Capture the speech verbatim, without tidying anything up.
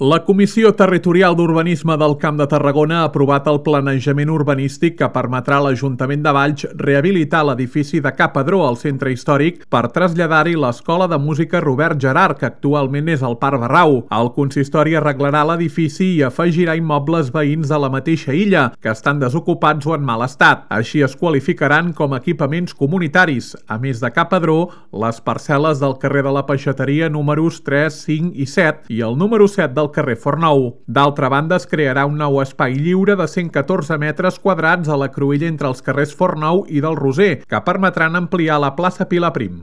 La Comissió Territorial d'Urbanisme del Camp de Tarragona ha aprovat el planejament urbanístic que permetrà a l'Ajuntament de Valls rehabilitar l'edifici de Ca Padró al centre històric per traslladar-hi l'Escola de Música Robert Gerhard, que actualment és al Parc Barrau. El consistori arreglarà l'edifici i afegirà immobles veïns de la mateixa illa, que estan desocupats o en mal estat. Així es qualificaran com a equipaments comunitaris. A més de Ca Padró, les parcel·les del carrer de la Peixateria números tres, cinc i set i el número set del carrer Fornou. D'altra banda, es crearà un nou espai lliure de cent catorze metres quadrats a la cruïlla entre els carrers Fornou i del Roser, que permetran ampliar la plaça Pilar Prim.